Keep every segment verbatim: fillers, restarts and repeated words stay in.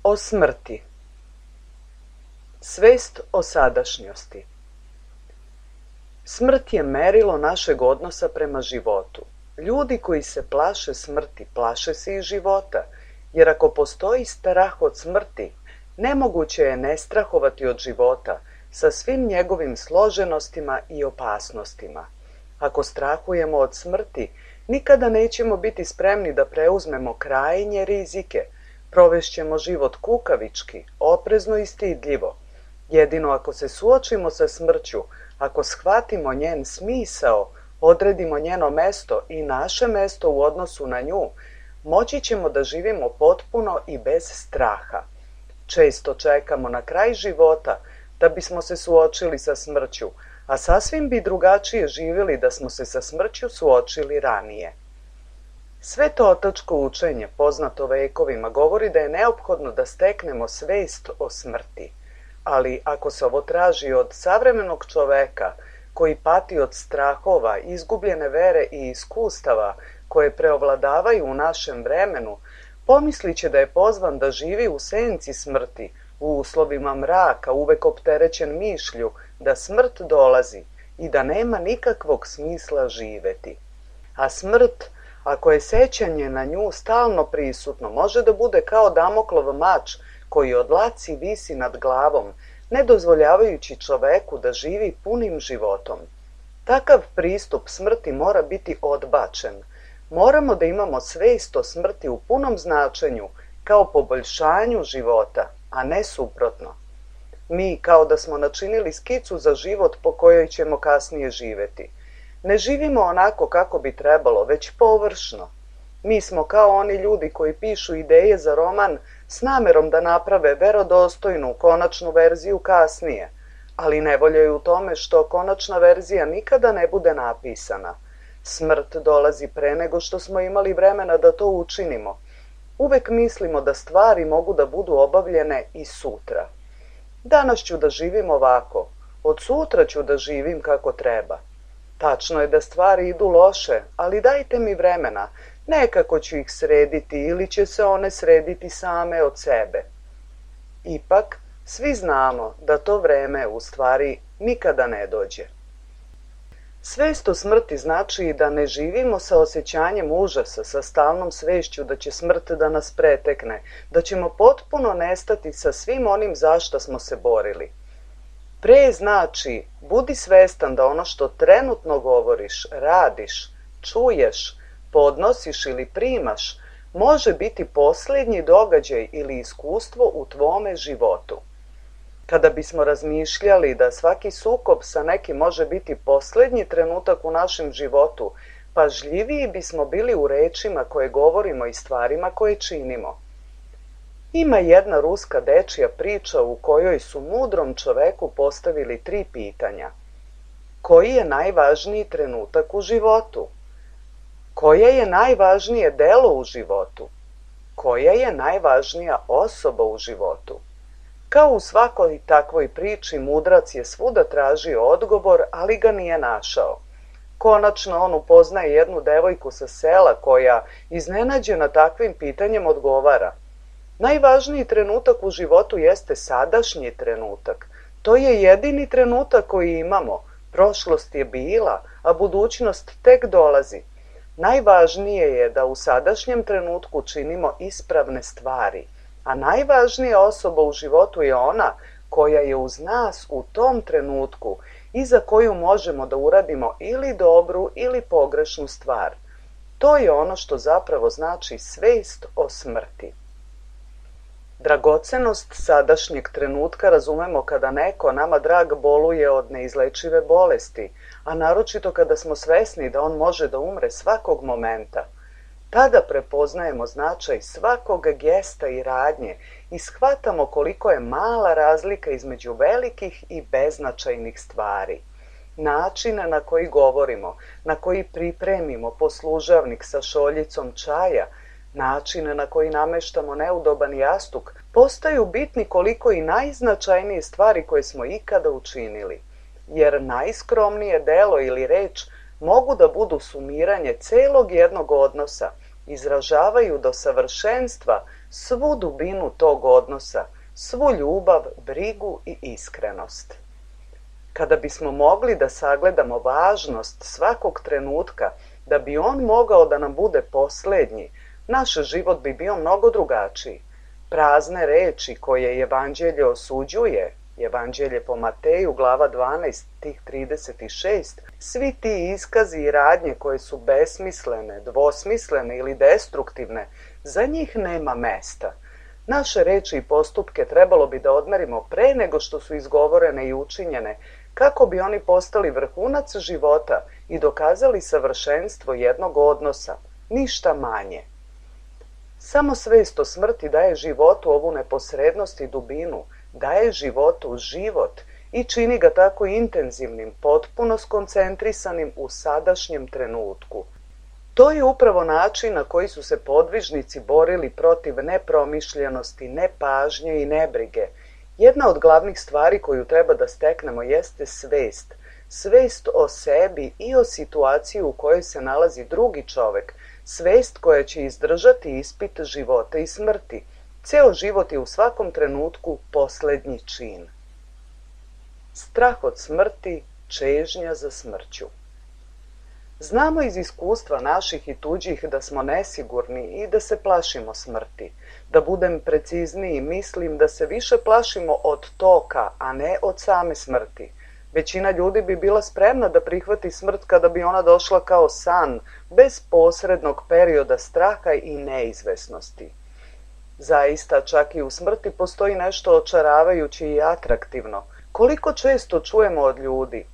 O smrti. Svest o sadašnjosti. Smrt je merilo našeg odnosa prema životu. Ljudi koji se plaše smrti, plaše se i života, jer ako postoji strah od smrti, nemoguće je ne strahovati od života sa svim njegovim složenostima i opasnostima. Ako strahujemo od smrti, nikada nećemo biti spremni da preuzmemo krajnje rizike. Provešćemo život kukavički, oprezno i stidljivo. Jedino ako se suočimo sa smrću, ako shvatimo njen smisao, odredimo njeno mesto i naše mesto u odnosu na nju, moći ćemo da živimo potpuno i bez straha. Često čekamo na kraj života da bismo se suočili sa smrću, a sasvim bi drugačije živjeli da smo se sa smrću suočili ranije. Svetotačko učenje, poznato vekovima, govori da je neophodno da steknemo svest o smrti. Ali ako se ovo traži od savremenog čoveka koji pati od strahova, izgubljene vere i iskustava koje preovladavaju u našem vremenu, pomislit će da je pozvan da živi u senci smrti, u uslovima mraka, uvek opterećen mišlju da smrt dolazi i da nema nikakvog smisla živeti. A smrt, ako je sećanje na nju stalno prisutno, može da bude kao Damoklov mač koji od dlaci visi nad glavom, ne dozvoljavajući čoveku da živi punim životom. Takav pristup smrti mora biti odbačen. Moramo da imamo svest o smrti u punom značenju, kao poboljšanju života, a ne suprotno. Mi, kao da smo načinili skicu za život po kojoj ćemo kasnije živeti. Ne živimo onako kako bi trebalo, već površno. Mi smo kao oni ljudi koji pišu ideje za roman s namerom da naprave verodostojnu konačnu verziju kasnije, ali nevolja je u tome što konačna verzija nikada ne bude napisana. Smrt dolazi pre nego što smo imali vremena da to učinimo. Uvek mislimo da stvari mogu da budu obavljene i sutra. Danas ću da živim ovako, od sutra ću da živim kako treba. Tačno je da stvari idu loše, ali dajte mi vremena, nekako ću ih srediti ili će se one srediti same od sebe. Ipak, svi znamo da to vreme u stvari nikada ne dođe. Svest o smrti znači da ne živimo sa osjećanjem užasa, sa stalnom svešću da će smrt da nas pretekne, da ćemo potpuno nestati sa svim onim za što smo se borili. Pre znači, budi svestan da ono što trenutno govoriš, radiš, čuješ, podnosiš ili primaš, može biti posljednji događaj ili iskustvo u tvome životu. Kada bismo razmišljali da svaki sukob sa nekim može biti posljednji trenutak u našem životu, pažljiviji bismo bili u rečima koje govorimo i stvarima koje činimo. Ima jedna ruska dečija priča u kojoj su mudrom čoveku postavili tri pitanja. Koji je najvažniji trenutak u životu? Koje je najvažnije delo u životu? Koja je najvažnija osoba u životu? Kao u svakoj takvoj priči, mudrac je svuda tražio odgovor, ali ga nije našao. Konačno on upoznaje jednu devojku sa sela koja, iznenađena takvim pitanjem, odgovara: najvažniji trenutak u životu jeste sadašnji trenutak. To je jedini trenutak koji imamo. Prošlost je bila, a budućnost tek dolazi. Najvažnije je da u sadašnjem trenutku činimo ispravne stvari, a najvažnija osoba u životu je ona koja je uz nas u tom trenutku i za koju možemo da uradimo ili dobru ili pogrešnu stvar. To je ono što zapravo znači svest o smrti. Dragocenost sadašnjeg trenutka razumemo kada neko nama drag boluje od neizlečive bolesti, a naročito kada smo svesni da on može da umre svakog momenta. Tada prepoznajemo značaj svakog gesta i radnje i shvatamo koliko je mala razlika između velikih i beznačajnih stvari. Način na koji govorimo, na koji pripremimo poslužavnik sa šoljicom čaja, način na koji nameštamo neudoban jastuk, postaju bitni koliko i najznačajnije stvari koje smo ikada učinili. Jer najskromnije delo ili reč mogu da budu sumiranje celog jednog odnosa izražavaju do savršenstva svu dubinu tog odnosa, svu ljubav, brigu i iskrenost. Kada bismo mogli da sagledamo važnost svakog trenutka, da bi on mogao da nam bude posljednji, naš život bi bio mnogo drugačiji. Prazne reči koje Evanđelje osuđuje, Evanđelje po Mateju, glava dvanaest, stih trideset šest, svi ti iskazi i radnje koje su besmislene, dvosmislene ili destruktivne, za njih nema mesta. Naše reči i postupke trebalo bi da odmerimo pre nego što su izgovorene i učinjene, kako bi oni postali vrhunac života i dokazali savršenstvo jednog odnosa, ništa manje. Samo svest o smrti daje životu ovu neposrednost i dubinu, daje životu život i čini ga tako intenzivnim, potpuno skoncentrisanim u sadašnjem trenutku. To je upravo način na koji su se podvižnici borili protiv nepromišljenosti, nepažnje i nebrige. Jedna od glavnih stvari koju treba da steknemo jeste svest. Svest o sebi i o situaciji u kojoj se nalazi drugi čovek. Svest koja će izdržati ispit života i smrti. Ceo život je u svakom trenutku poslednji čin. Strah od smrti, čežnja za smrću. Znamo iz iskustva naših i tuđih da smo nesigurni i da se plašimo smrti. Da budem precizniji, mislim da se više plašimo od toka, a ne od same smrti. Većina ljudi bi bila spremna da prihvati smrt kada bi ona došla kao san, bez posrednog perioda straha i neizvesnosti. Zaista, čak i u smrti postoji nešto očaravajuće i atraktivno. Koliko često čujemo od ljudi: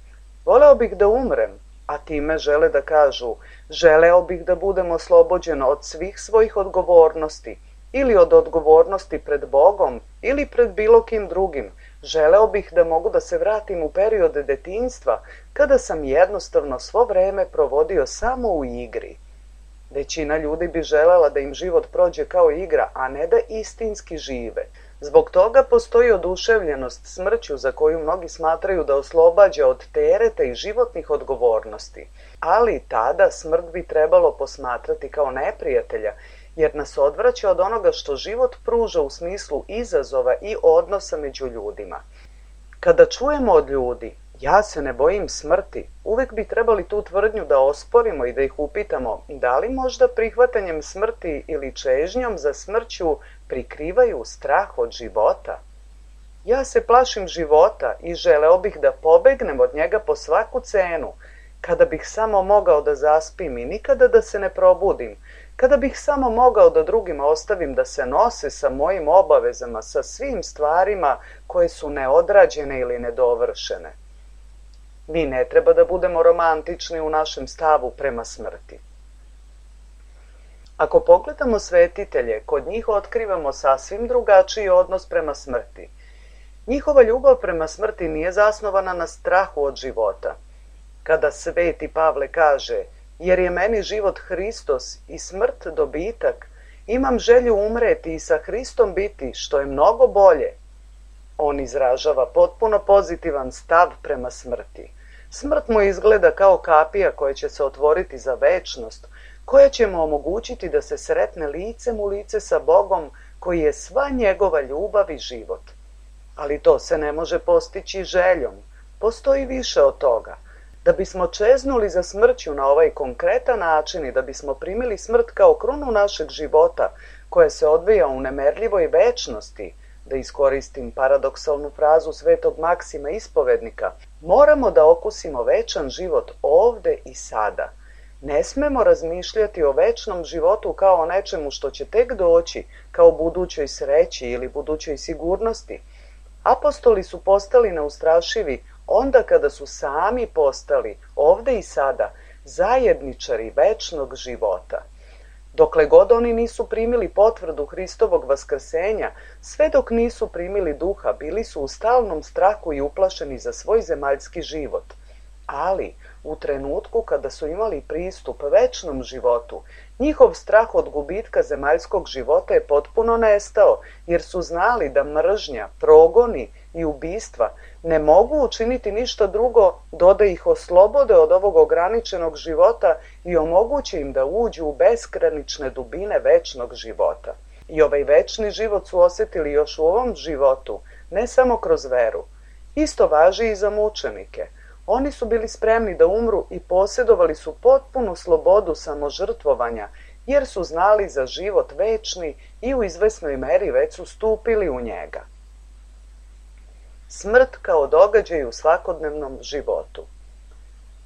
voleo bih da umrem, a time žele da kažu: želeo bih da budem oslobođen od svih svojih odgovornosti, ili od odgovornosti pred Bogom, ili pred bilo kim drugim. Želeo bih da mogu da se vratim u periode detinjstva, kada sam jednostavno svo vreme provodio samo u igri. Većina ljudi bi želela da im život prođe kao igra, a ne da istinski žive. Zbog toga postoji oduševljenost smrću za koju mnogi smatraju da oslobađa od tereta i životnih odgovornosti. Ali tada smrt bi trebalo posmatrati kao neprijatelja, jer nas odvraća od onoga što život pruža u smislu izazova i odnosa među ljudima. Kada čujemo od ljudi: ja se ne bojim smrti, uvek bi trebali tu tvrdnju da osporimo i da ih upitamo da li možda prihvatanjem smrti ili čežnjom za smrću prikrivaju strah od života. Ja se plašim života i želeo bih da pobegnem od njega po svaku cenu, kada bih samo mogao da zaspim i nikada da se ne probudim, kada bih samo mogao da drugima ostavim da se nose sa mojim obavezama, sa svim stvarima koje su neodrađene ili nedovršene. Mi ne treba da budemo romantični u našem stavu prema smrti. Ako pogledamo svetitelje, kod njih otkrivamo sasvim drugačiji odnos prema smrti. Njihova ljubav prema smrti nije zasnovana na strahu od života. Kada sveti Pavle kaže: jer je meni život Hristos i smrt dobitak, imam želju umreti i sa Hristom biti, što je mnogo bolje. On izražava potpuno pozitivan stav prema smrti. Smrt mu izgleda kao kapija koja će se otvoriti za večnost, koja će mu omogućiti da se sretne licem u lice sa Bogom, koji je sva njegova ljubav i život. Ali to se ne može postići željom. Postoji više od toga. Da bismo čeznuli za smrću na ovaj konkretan način i da bismo primili smrt kao krunu našeg života, koja se odvija u nemerljivoj večnosti, da iskoristim paradoksalnu frazu svetog Maksima Ispovednika, moramo da okusimo večan život ovde i sada. Ne smemo razmišljati o večnom životu kao o nečemu što će tek doći, kao budućoj sreći ili budućoj sigurnosti. Apostoli su postali neustrašivi onda kada su sami postali, ovde i sada, zajedničari večnog života. Dokle god oni nisu primili potvrdu Hristovog vaskrsenja, sve dok nisu primili duha, bili su u stalnom strahu i uplašeni za svoj zemaljski život. Ali, u trenutku kada su imali pristup večnom životu, njihov strah od gubitka zemaljskog života je potpuno nestao, jer su znali da mržnja, progoni i ubistva ne mogu učiniti ništa drugo do da ih oslobode od ovog ograničenog života i omoguće im da uđu u beskranične dubine večnog života. I ovaj večni život su osjetili još u ovom životu, ne samo kroz veru. Isto važi i za mučenike. Oni su bili spremni da umru i posjedovali su potpunu slobodu samožrtvovanja, jer su znali za život večni i u izvesnoj meri već su stupili u njega. Smrt kao događaj u svakodnevnom životu.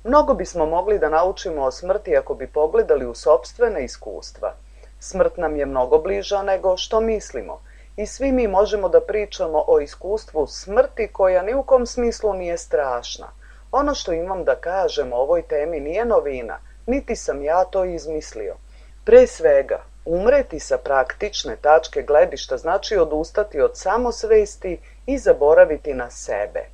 Mnogo bismo mogli da naučimo o smrti ako bi pogledali u sopstvene iskustva. Smrt nam je mnogo bliža nego što mislimo i svi mi možemo da pričamo o iskustvu smrti koja ni u kom smislu nije strašna. Ono što imam da kažem o ovoj temi nije novina, niti sam ja to izmislio. Pre svega, umreti sa praktične tačke gledišta znači odustati od samosvesti i zaboraviti na sebe.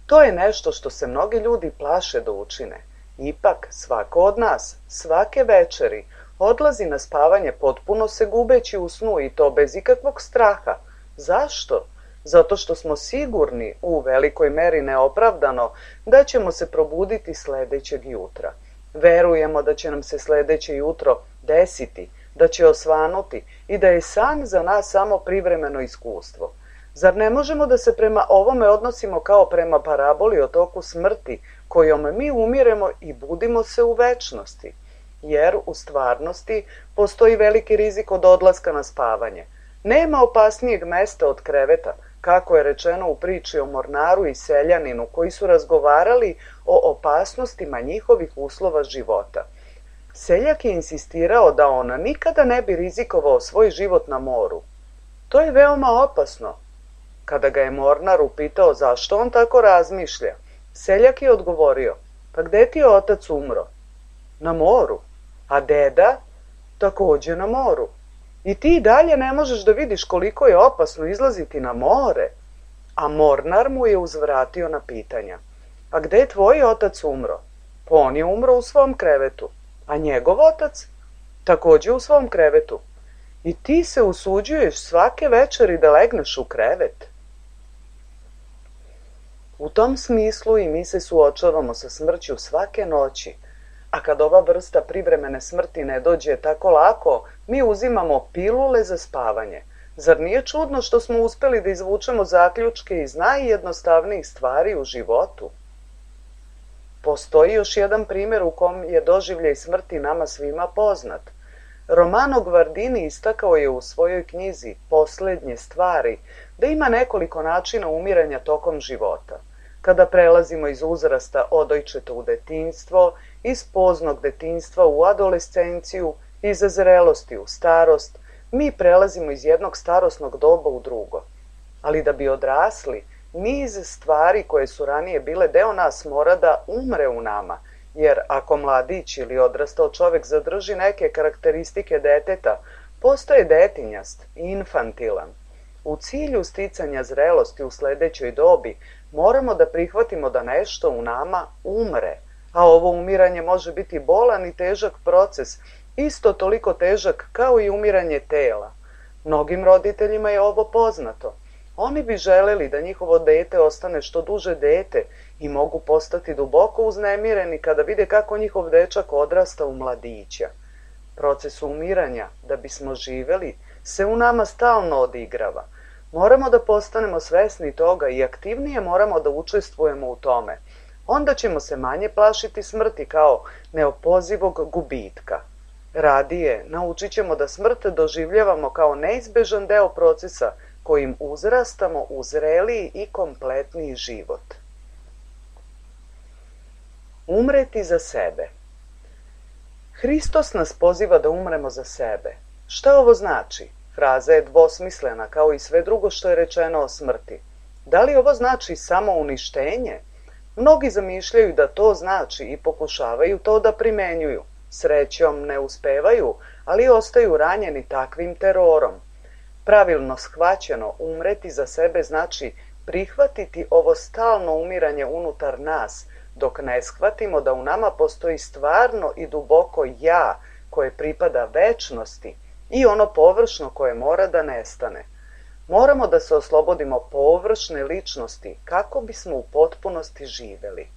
To je nešto što se mnogi ljudi plaše da učine. Ipak, svako od nas, svake večeri, odlazi na spavanje potpuno se gubeći u snu i to bez ikakvog straha. Zašto? Zato što smo sigurni, u velikoj meri neopravdano, da ćemo se probuditi sledećeg jutra. Verujemo da će nam se sledeće jutro desiti, da će osvanuti i da je san za nas samo privremeno iskustvo. Zar ne možemo da se prema ovome odnosimo kao prema paraboli o toku smrti, kojom mi umiremo i budimo se u večnosti? Jer u stvarnosti postoji veliki rizik od odlaska na spavanje. Nema opasnijeg mesta od kreveta, kako je rečeno u priči o mornaru i seljaninu koji su razgovarali o opasnostima njihovih uslova života. Seljak je insistirao da on nikada ne bi rizikovao svoj život na moru. To je veoma opasno. Kada ga je mornar upitao zašto on tako razmišlja, seljak je odgovorio, pa gde ti je otac umro? Na moru. A deda? Takođe na moru. I ti dalje ne možeš da vidiš koliko je opasno izlaziti na more. A mornar mu je uzvratio na pitanja. A gde je tvoj otac umro? Pa on je umro u svom krevetu. A njegov otac? Takođe u svom krevetu. I ti se usuđuješ svake večeri da legneš u krevet. U tom smislu i mi se suočavamo sa smrću svake noći. A kad ova vrsta privremene smrti ne dođe tako lako, mi uzimamo pilule za spavanje. Zar nije čudno što smo uspeli da izvučemo zaključke iz najjednostavnijih stvari u životu? Postoji još jedan primjer u kom je doživljaj smrti nama svima poznat. Romano Guardini istakao je u svojoj knjizi Poslednje stvari da ima nekoliko načina umiranja tokom života. Kada prelazimo iz uzrasta odojčeta u detinjstvo, iz poznog detinjstva u adolescenciju, iz zrelosti u starost, mi prelazimo iz jednog starosnog doba u drugo. Ali da bi odrasli, niz stvari koje su ranije bile deo nas mora da umre u nama, jer ako mladić ili odrastao čovek zadrži neke karakteristike deteta, postaje detinjast i infantilan. U cilju sticanja zrelosti u sledećoj dobi moramo da prihvatimo da nešto u nama umre, a ovo umiranje može biti bolan i težak proces, isto toliko težak kao i umiranje tela. Mnogim roditeljima je ovo poznato. Oni bi želeli da njihovo dete ostane što duže dete i mogu postati duboko uznemireni kada vide kako njihov dečak odrasta u mladića. Proces umiranja, da bismo živeli, se u nama stalno odigrava. Moramo da postanemo svesni toga i aktivnije moramo da učestvujemo u tome. Onda ćemo se manje plašiti smrti kao neopozivog gubitka. Radije, naučit ćemo da smrt doživljavamo kao neizbežan deo procesa kojim uzrastamo u zreliji i kompletniji život. Umreti za sebe. Hristos nas poziva da umremo za sebe. Šta ovo znači? Fraza je dvosmislena kao i sve drugo što je rečeno o smrti. Da li ovo znači samo uništenje? Mnogi zamišljaju da to znači i pokušavaju to da primenjuju. Srećom ne uspevaju, ali ostaju ranjeni takvim terorom. Pravilno shvaćeno, umreti za sebe znači prihvatiti ovo stalno umiranje unutar nas, dok ne shvatimo da u nama postoji stvarno i duboko ja koje pripada večnosti i ono površno koje mora da nestane. Moramo da se oslobodimo površne ličnosti kako bismo u potpunosti živeli.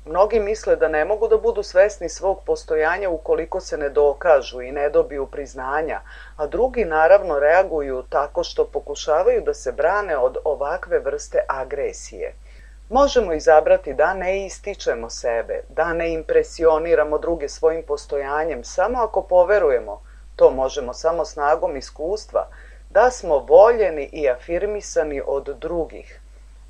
Mnogi misle da ne mogu da budu svesni svog postojanja ukoliko se ne dokažu i ne dobiju priznanja, a drugi naravno reaguju tako što pokušavaju da se brane od ovakve vrste agresije. Možemo izabrati da ne ističemo sebe, da ne impresioniramo druge svojim postojanjem, samo ako poverujemo, to možemo samo snagom iskustva, da smo voljeni i afirmisani od drugih.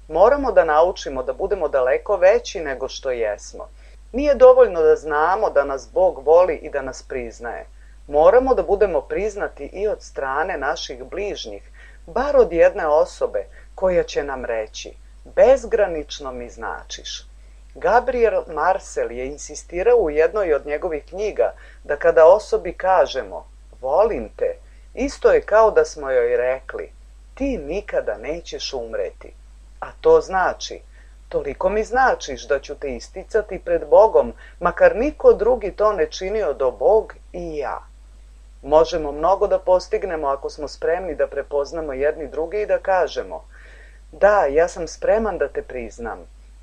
Moramo da naučimo da budemo daleko veći nego što jesmo. Nije dovoljno da znamo da nas Bog voli i da nas priznaje. Moramo da budemo priznati i od strane naših bližnjih, bar od jedne osobe koja će nam reći: bezgranično mi značiš. Gabriel Marcel je insistirao u jednoj od njegovih knjiga da kada osobi kažemo volim te, isto je kao da smo joj rekli ti nikada nećeš umreti. A to znači, toliko mi značiš da ću te isticati pred Bogom, makar niko drugi to ne činio do Bog i ja. Možemo mnogo da postignemo ako smo spremni da prepoznamo jedni druge i da kažemo: da, ja sam spreman da te priznam.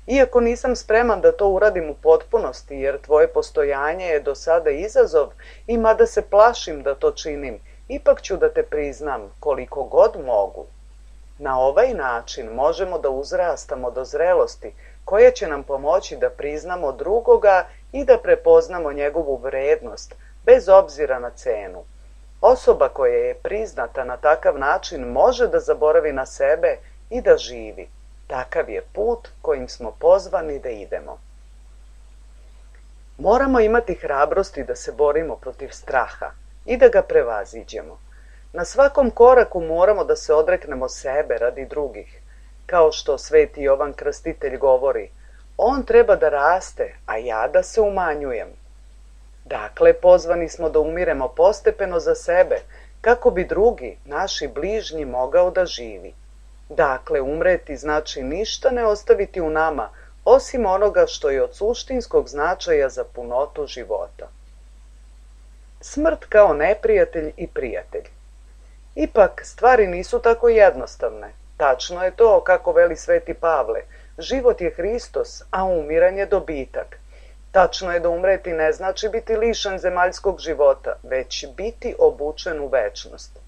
Iako nisam spreman da to uradim u potpunosti, jer tvoje postojanje je do sada izazov i mada se plašim da to činim, ipak ću da te priznam koliko god mogu. Na ovaj način možemo da uzrastamo do zrelosti koja će nam pomoći da priznamo drugoga i da prepoznamo njegovu vrednost, bez obzira na cenu. Osoba koja je priznata na takav način može da zaboravi na sebe i da živi. Takav je put kojim smo pozvani da idemo. Moramo imati hrabrosti da se borimo protiv straha i da ga prevaziđemo. Na svakom koraku moramo da se odreknemo sebe radi drugih. Kao što sveti Jovan Krstitelj govori, on treba da raste, a ja da se umanjujem. Dakle, pozvani smo da umiremo postepeno za sebe, kako bi drugi, naši bližnji, mogao da živi. Dakle, umreti znači ništa ne ostaviti u nama, osim onoga što je od suštinskog značaja za punotu života. Smrt kao neprijatelj i prijatelj. Ipak, stvari nisu tako jednostavne. Tačno je to, kako veli sveti Pavle, život je Hristos, a umiranje dobitak. Tačno je da umreti ne znači biti lišen zemaljskog života, već biti obučen u večnost.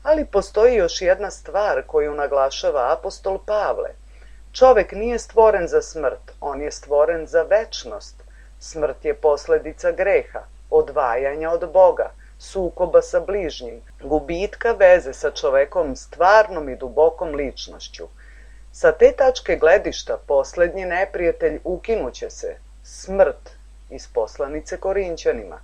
Ali postoji još jedna stvar koju naglašava apostol Pavle. Čovek nije stvoren za smrt, on je stvoren za večnost. Smrt je posledica greha, odvajanja od Boga, sukoba sa bližnjim, gubitka veze sa čovekom stvarnom i dubokom ličnošću. Sa te tačke gledišta poslednji neprijatelj ukinuće se, smrt, iz poslanice Korinćanima.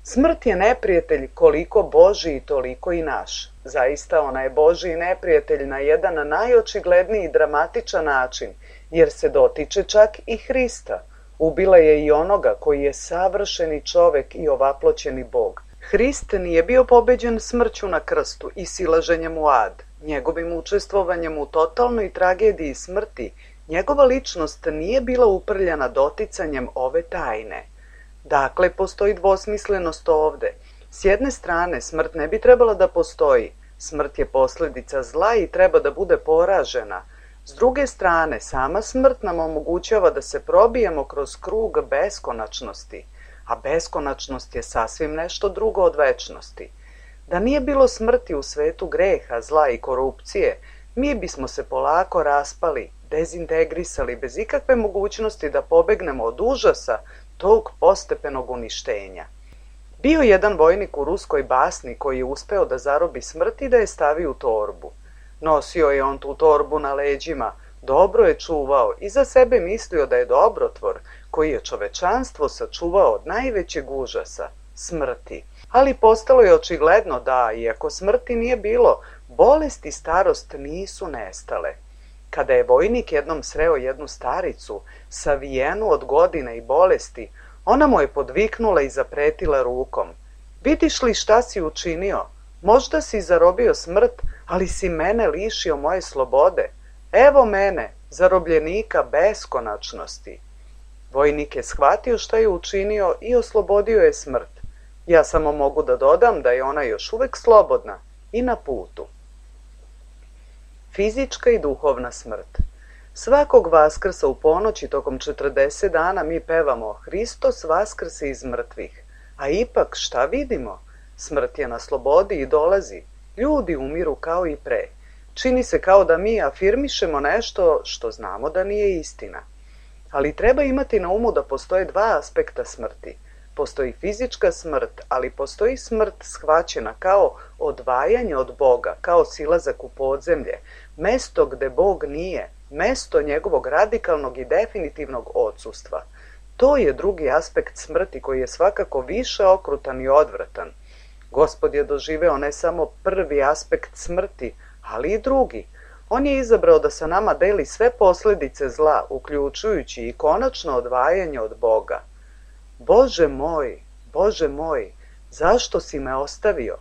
Smrt je neprijatelj koliko Božji i toliko i naš. Zaista ona je Božji neprijatelj na jedan najočigledniji i dramatičan način, jer se dotiče čak i Hrista. Ubila je i onoga koji je savršeni čovek i ovaploćeni Bog. Hrist nije bio pobeđen smrću na krstu i silaženjem u ad. Njegovim učestvovanjem u totalnoj tragediji smrti, njegova ličnost nije bila uprljana doticanjem ove tajne. Dakle, postoji dvosmislenost ovde. S jedne strane, smrt ne bi trebala da postoji. Smrt je posledica zla i treba da bude poražena. S druge strane, sama smrt nam omogućava da se probijemo kroz krug beskonačnosti, a beskonačnost je sasvim nešto drugo od večnosti. Da nije bilo smrti u svetu greha, zla i korupcije, mi bismo se polako raspali, dezintegrisali bez ikakve mogućnosti da pobegnemo od užasa tog postepenog uništenja. Bio jedan vojnik u ruskoj basni koji je uspeo da zarobi smrt i da je stavi u torbu. Nosio je on tu torbu na leđima, dobro je čuvao i za sebe mislio da je dobrotvor koji je čovečanstvo sačuvao od najvećeg užasa, smrti. Ali postalo je očigledno da, iako smrti nije bilo, bolest i starost nisu nestale. Kada je vojnik jednom sreo jednu staricu, savijenu od godina i bolesti, ona mu je podviknula i zapretila rukom. Vidiš li šta si učinio? Možda si zarobio smrt, ali si mene lišio moje slobode. Evo mene, zarobljenika beskonačnosti. Vojnik je shvatio šta je učinio i oslobodio je smrt. Ja samo mogu da dodam da je ona još uvek slobodna i na putu. Fizička i duhovna smrt. Svakog Vaskrsa u ponoći tokom četrdeset dana mi pevamo Hristos vaskrse iz mrtvih. A ipak šta vidimo? Smrt je na slobodi i dolazi. Ljudi umiru kao i pre. Čini se kao da mi afirmišemo nešto što znamo da nije istina. Ali treba imati na umu da postoje dva aspekta smrti. Postoji fizička smrt, ali postoji smrt shvaćena kao odvajanje od Boga, kao silazak u podzemlje, mesto gde Bog nije, mesto njegovog radikalnog i definitivnog odsustva. To je drugi aspekt smrti koji je svakako više okrutan i odvratan. Gospod je doživeo ne samo prvi aspekt smrti, ali i drugi. On je izabrao da sa nama deli sve posljedice zla, uključujući i konačno odvajanje od Boga. Bože moj, Bože moj, zašto si me ostavio?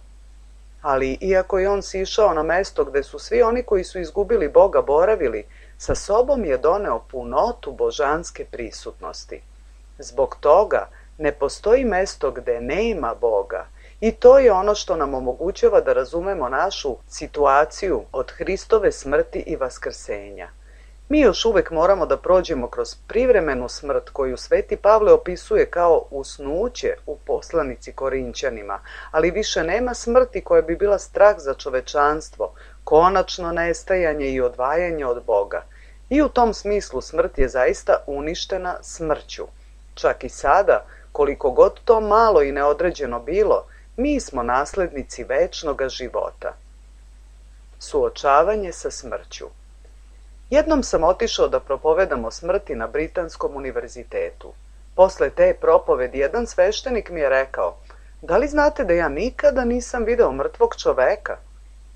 Ali iako je on sišao na mesto gde su svi oni koji su izgubili Boga boravili, sa sobom je doneo punotu božanske prisutnosti. Zbog toga ne postoji mesto gde nema Boga. I to je ono što nam omogućava da razumemo našu situaciju od Hristove smrti i vaskrsenja. Mi još uvek moramo da prođemo kroz privremenu smrt koju Sveti Pavle opisuje kao usnuće u poslanici Korinćanima, ali više nema smrti koja bi bila strah za čovečanstvo, konačno nestajanje i odvajanje od Boga. I u tom smislu smrt je zaista uništena smrću. Čak i sada, koliko god to malo i neodređeno bilo, mi smo naslednici večnoga života. Suočavanje sa smrću. Jednom sam otišao da propovedam o smrti na Britanskom univerzitetu. Posle te propovedi jedan sveštenik mi je rekao: da li znate da ja nikada nisam video mrtvog čoveka?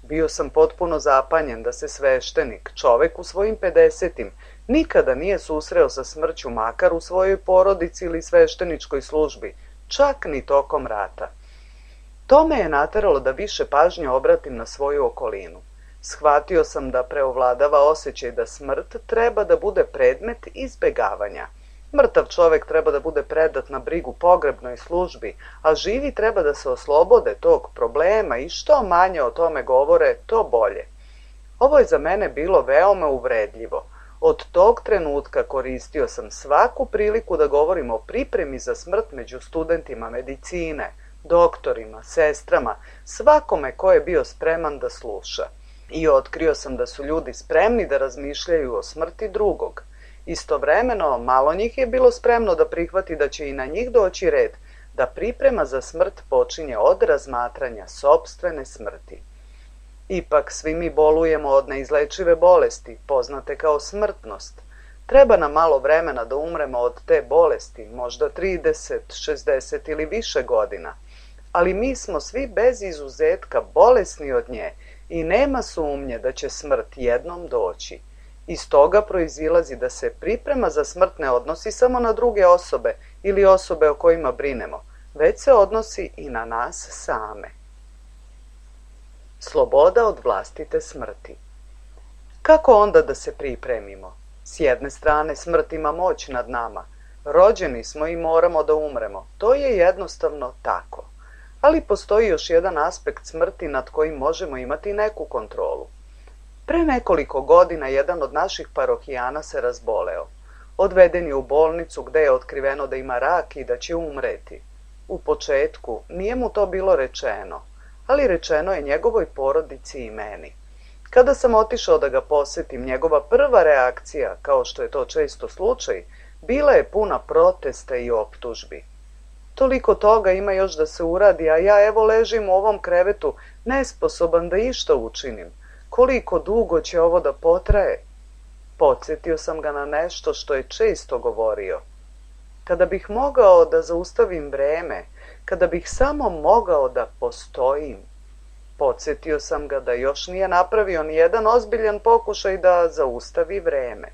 Bio sam potpuno zapanjen da se sveštenik, čovek u svojim pedesetim, nikada nije susreo sa smrću makar u svojoj porodici ili svešteničkoj službi, čak ni tokom rata. To me je nateralo da više pažnje obratim na svoju okolinu. Shvatio sam da preovladava osjećaj da smrt treba da bude predmet izbegavanja. Mrtav čovek treba da bude predat na brigu pogrebnoj službi, a živi treba da se oslobode tog problema i što manje o tome govore, to bolje. Ovo je za mene bilo veoma uvredljivo. Od tog trenutka koristio sam svaku priliku da govorim o pripremi za smrt među studentima medicine, doktorima, sestrama, svakome ko je bio spreman da sluša. I otkrio sam da su ljudi spremni da razmišljaju o smrti drugog. Istovremeno, malo njih je bilo spremno da prihvati da će i na njih doći red, da priprema za smrt počinje od razmatranja sopstvene smrti. Ipak svi mi bolujemo od neizlečive bolesti, poznate kao smrtnost. Treba nam malo vremena da umremo od te bolesti, možda trideset, šezdeset ili više godina. Ali mi smo svi bez izuzetka bolesni od nje i nema sumnje da će smrt jednom doći. Iz toga proizilazi da se priprema za smrt ne odnosi samo na druge osobe ili osobe o kojima brinemo, već se odnosi i na nas same. Sloboda od vlastite smrti. Kako onda da se pripremimo? S jedne strane, smrt ima moć nad nama. Rođeni smo i moramo da umremo. To je jednostavno tako. Ali postoji još jedan aspekt smrti nad kojim možemo imati neku kontrolu. Pre nekoliko godina jedan od naših parohijana se razboleo. Odveden je u bolnicu gde je otkriveno da ima rak i da će umreti. U početku nije mu to bilo rečeno, ali rečeno je njegovoj porodici i meni. Kada sam otišao da ga posetim, njegova prva reakcija, kao što je to često slučaj, bila je puna protesta i optužbi. Toliko toga ima još da se uradi, a ja evo ležim u ovom krevetu, nesposoban da išta učinim. Koliko dugo će ovo da potraje? Podsjetio sam ga na nešto što je često govorio. Kada bih mogao da zaustavim vreme, kada bih samo mogao da postojim. Podsjetio sam ga da još nije napravio ni jedan ozbiljan pokušaj da zaustavi vreme.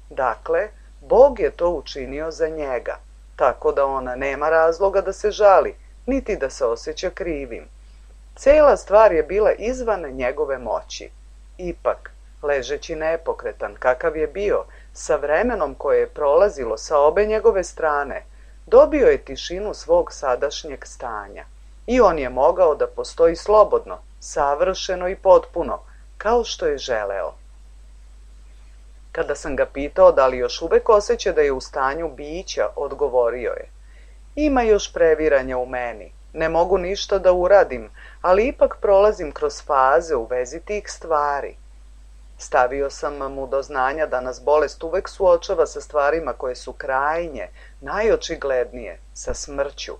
Dakle, Bog je to učinio za njega, tako da on nema razloga da se žali, niti da se osjeća krivim. Cela stvar je bila izvan njegove moći. Ipak, ležeći nepokretan, kakav je bio, sa vremenom koje je prolazilo sa obe njegove strane, dobio je tišinu svog sadašnjeg stanja. I on je mogao da postoji slobodno, savršeno i potpuno, kao što je želeo. Kada sam ga pitao da li još uvek osjeća da je u stanju bića, odgovorio je: ima još previranja u meni, ne mogu ništa da uradim, ali ipak prolazim kroz faze u vezi tih stvari. Stavio sam mu do znanja da nas bolest uvek suočava sa stvarima koje su krajnje, najočiglednije, sa smrću.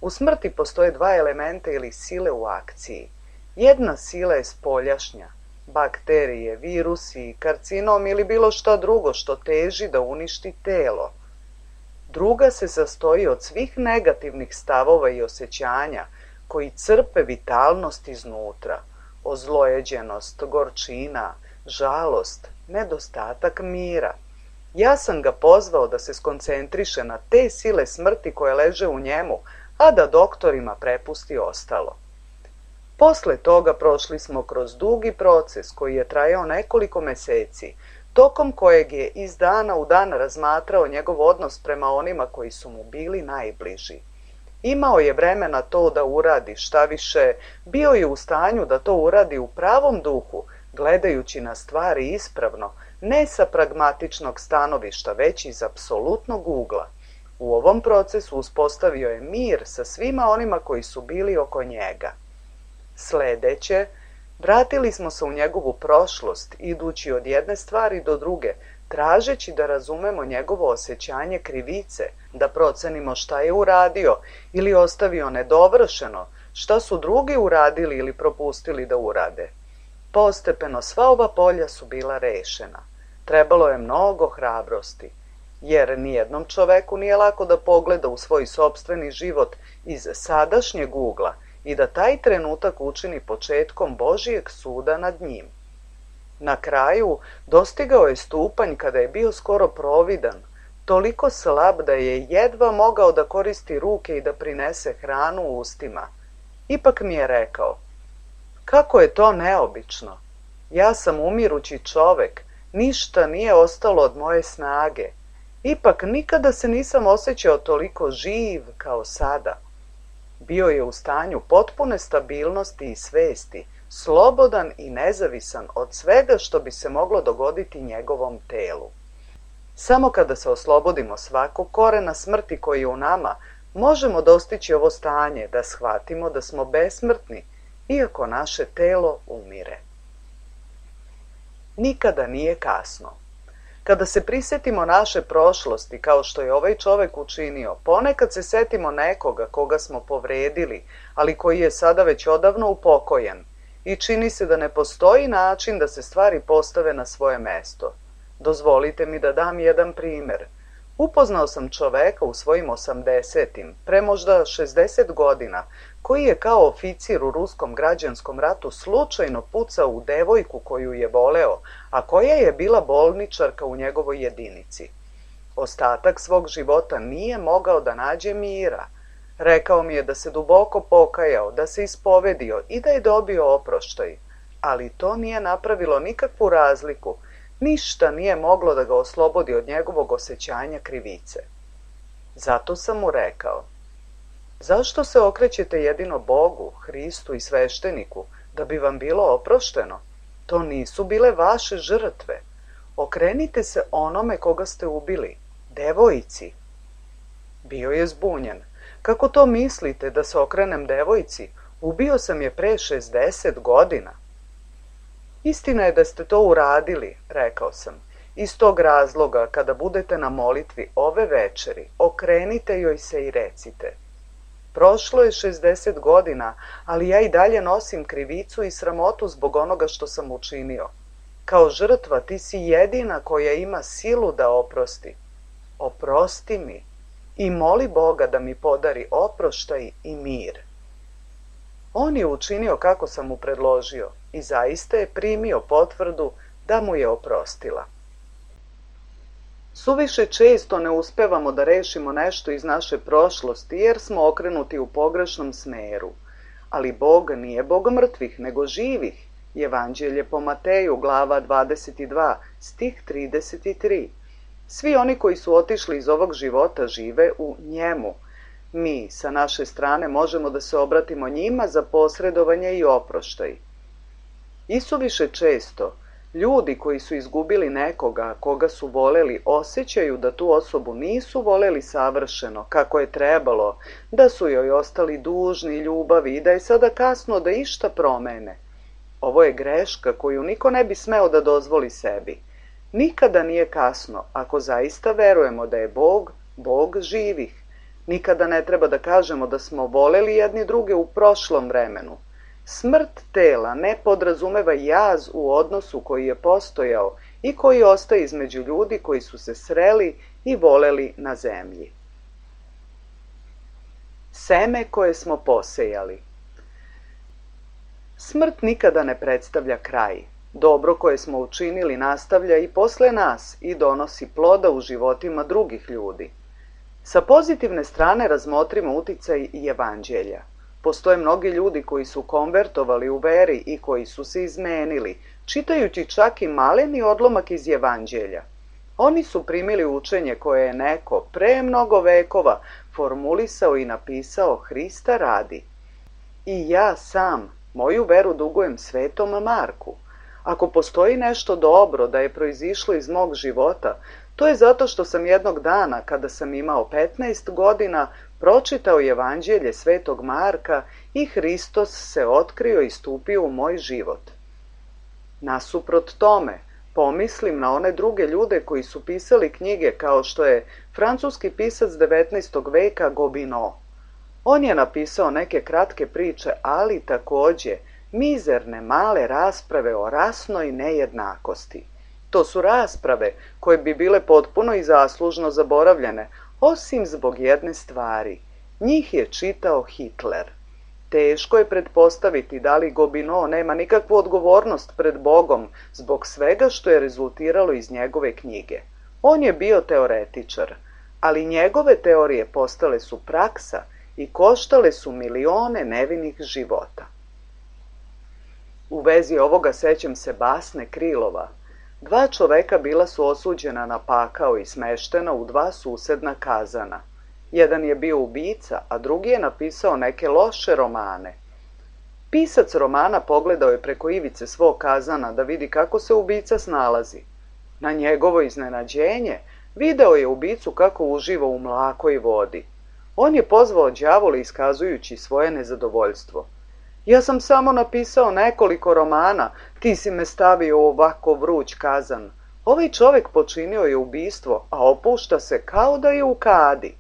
U smrti postoje dva elementa ili sile u akciji. Jedna sila je spoljašnja, bakterije, virusi, karcinom ili bilo šta drugo što teži da uništi telo. Druga se sastoji od svih negativnih stavova i osjećanja koji crpe vitalnost iznutra, ozlojeđenost, gorčina, žalost, nedostatak mira. Ja sam ga pozvao da se skoncentriše na te sile smrti koje leže u njemu, a da doktorima prepusti ostalo. Posle toga prošli smo kroz dugi proces koji je trajao nekoliko meseci, tokom kojeg je iz dana u dan razmatrao njegov odnos prema onima koji su mu bili najbliži. Imao je vremena to da uradi, šta više, bio je u stanju da to uradi u pravom duhu, gledajući na stvari ispravno, ne sa pragmatičnog stanovišta, već iz apsolutnog ugla. U ovom procesu uspostavio je mir sa svima onima koji su bili oko njega. Sledeće, vratili smo se u njegovu prošlost, idući od jedne stvari do druge, tražeći da razumemo njegovo osjećanje krivice, da procenimo šta je uradio ili ostavio nedovršeno, šta su drugi uradili ili propustili da urade. Postepeno sva ova polja su bila rešena. Trebalo je mnogo hrabrosti, jer nijednom čoveku nije lako da pogleda u svoj sopstveni život iz sadašnjeg ugla i da taj trenutak učini početkom Božijeg suda nad njim. Na kraju dostigao je stupanj kada je bio skoro providan, toliko slab da je jedva mogao da koristi ruke i da prinese hranu u ustima. Ipak mi je rekao: kako je to neobično. Ja sam umirući čovek, ništa nije ostalo od moje snage. Ipak nikada se nisam osjećao toliko živ kao sada. Bio je u stanju potpune stabilnosti i svesti, slobodan i nezavisan od svega što bi se moglo dogoditi njegovom telu. Samo kada se oslobodimo svakog korena smrti koji je u nama, možemo dostići ovo stanje da shvatimo da smo besmrtni, iako naše telo umire. Nikada nije kasno. Kada se prisetimo naše prošlosti, kao što je ovaj čovek učinio, ponekad se setimo nekoga koga smo povredili, ali koji je sada već odavno upokojen, i čini se da ne postoji način da se stvari postave na svoje mesto. Dozvolite mi da dam jedan primer. Upoznao sam čoveka u svojim osamdesetim, pre možda šezdeset godina, koji je kao oficir u ruskom građanskom ratu slučajno pucao u devojku koju je voleo, a koja je bila bolničarka u njegovoj jedinici. Ostatak svog života nije mogao da nađe mira. Rekao mi je da se duboko pokajao, da se ispovedio i da je dobio oproštaj, ali to nije napravilo nikakvu razliku. Ništa nije moglo da ga oslobodi od njegovog osjećanja krivice. Zato sam mu rekao: zašto se okrećete jedino Bogu, Hristu i svešteniku, da bi vam bilo oprošteno? To nisu bile vaše žrtve. Okrenite se onome koga ste ubili, devojci. Bio je zbunjen. Kako to mislite da se okrenem devojci? Ubio sam je pre šezdeset godina. Istina je da ste to uradili, rekao sam. Iz tog razloga, kada budete na molitvi ove večeri, okrenite joj se i recite: prošlo je šezdeset godina, ali ja i dalje nosim krivicu i sramotu zbog onoga što sam učinio. Kao žrtva ti si jedina koja ima silu da oprosti. Oprosti mi i moli Boga da mi podari oproštaj i mir. On je učinio kako sam mu predložio i zaista je primio potvrdu da mu je oprostila. Suviše često ne uspevamo da rešimo nešto iz naše prošlosti jer smo okrenuti u pogrešnom smeru. Ali Bog nije Bog mrtvih, nego živih. Evanđelje po Mateju, glava dvadeset dva, stih trideset tri. Svi oni koji su otišli iz ovog života žive u njemu. Mi, sa naše strane, možemo da se obratimo njima za posredovanje i oproštaj. Isuviše često Ljudi koji su izgubili nekoga koga su voleli osjećaju da tu osobu nisu voleli savršeno, kako je trebalo, da su joj ostali dužni ljubavi i da je sada kasno da išta promene. Ovo je greška koju niko ne bi smeo da dozvoli sebi. Nikada nije kasno ako zaista verujemo da je Bog, Bog živih. Nikada ne treba da kažemo da smo voleli jedni druge u prošlom vremenu. Smrt tela ne podrazumeva jaz u odnosu koji je postojao i koji ostaje između ljudi koji su se sreli i voleli na zemlji. Seme koje smo posejali. Smrt nikada ne predstavlja kraj. Dobro koje smo učinili nastavlja i posle nas i donosi ploda u životima drugih ljudi. Sa pozitivne strane razmotrimo uticaj evanđelja. Postoje mnogi ljudi koji su konvertovali u veri i koji su se izmenili, čitajući čak i maleni odlomak iz evanđelja. Oni su primili učenje koje je neko pre mnogo vekova formulisao i napisao Hrista radi. I ja sam moju veru dugujem svetom Marku. Ako postoji nešto dobro da je proizišlo iz mog života, to je zato što sam jednog dana, kada sam imao petnaest godina, pročitao evanđelje svetog Marka i Hristos se otkrio i stupio u moj život. Nasuprot tome, pomislim na one druge ljude koji su pisali knjige kao što je francuski pisac devetnaestog veka Gobineau. On je napisao neke kratke priče, ali takođe mizerne male rasprave o rasnoj nejednakosti. To su rasprave koje bi bile potpuno i zaslužno zaboravljene, osim zbog jedne stvari. Njih je čitao Hitler. Teško je pretpostaviti da li Gobineau nema nikakvu odgovornost pred Bogom zbog svega što je rezultiralo iz njegove knjige. On je bio teoretičar, ali njegove teorije postale su praksa i koštale su milione nevinih života. U vezi ovoga sećam se basne Krilova. Dva čoveka bila su osuđena na pakao i smeštena u dva susedna kazana. Jedan je bio ubica, a drugi je napisao neke loše romane. Pisac romana pogledao je preko ivice svog kazana da vidi kako se ubica snalazi. Na njegovo iznenađenje video je ubicu kako uživa u mlakoj vodi. On je pozvao đavola iskazujući svoje nezadovoljstvo. Ja sam samo napisao nekoliko romana, ti si me stavio u ovako vruć kazan. Ovaj čovek počinio je ubistvo, a opušta se kao da je u kadi.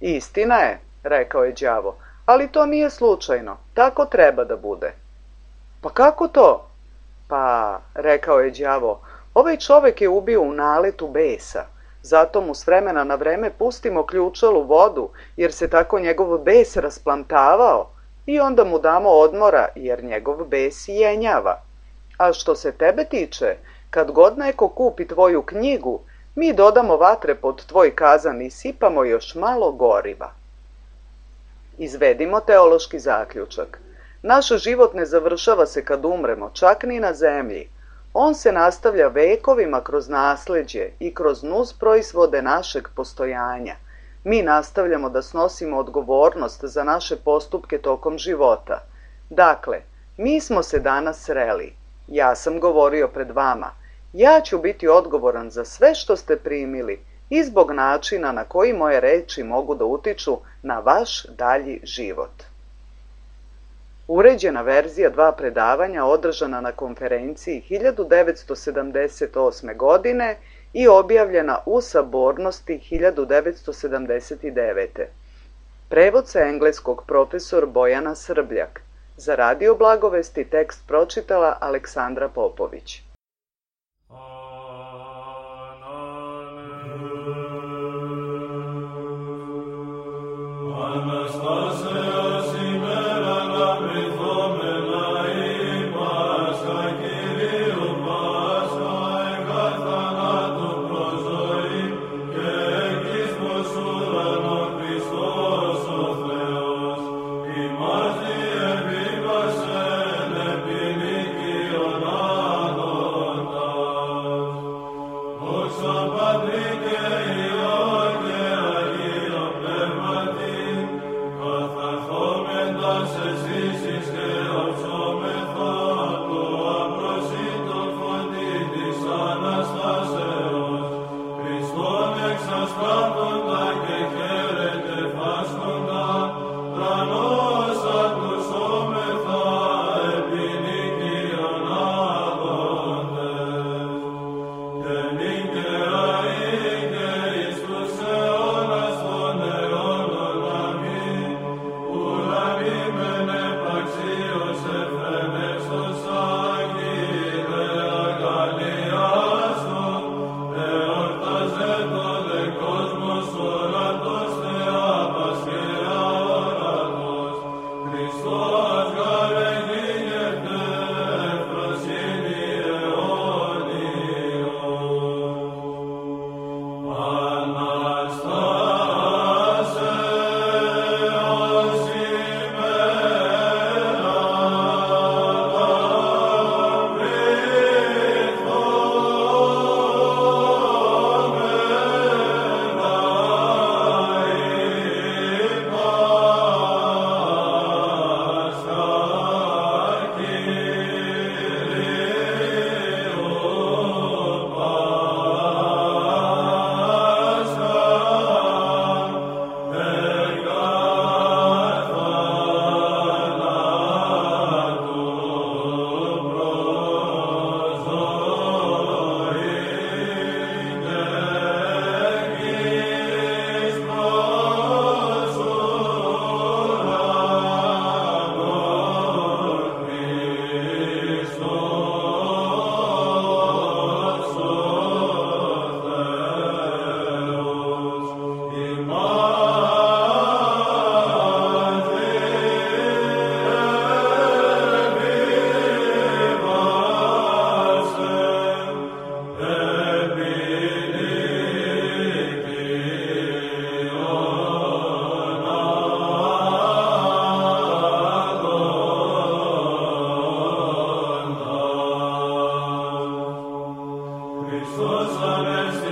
Istina je, rekao je đavo, ali to nije slučajno, tako treba da bude. Pa kako to? Pa, rekao je đavo, ovaj čovek je ubio u naletu besa. Zato mu s vremena na vreme pustimo ključalu vodu, jer se tako njegov bes rasplantavao. I onda mu damo odmora, jer njegov bes jenjava. A što se tebe tiče, kad god neko kupi tvoju knjigu, mi dodamo vatre pod tvoj kazan i sipamo još malo goriva. Izvedimo teološki zaključak. Naš život ne završava se kad umremo, čak ni na zemlji. On se nastavlja vekovima kroz nasleđe i kroz nus proizvode našeg postojanja. Mi nastavljamo da snosimo odgovornost za naše postupke tokom života. Dakle, mi smo se danas sreli. Ja sam govorio pred vama. Ja ću biti odgovoran za sve što ste primili i zbog načina na koji moje reči mogu da utiču na vaš dalji život. Uređena verzija dva predavanja održana na konferenciji hiljadu devetsto sedamdeset osme. godine i objavljena u Sabornosti hiljadu devetsto sedamdeset devete. Prevod sa engleskog profesor Bojana Srbljak. Za Radio Blagovesti tekst pročitala Aleksandra Popović. Imasi ebiva se ne piliki onano Christus, Amen.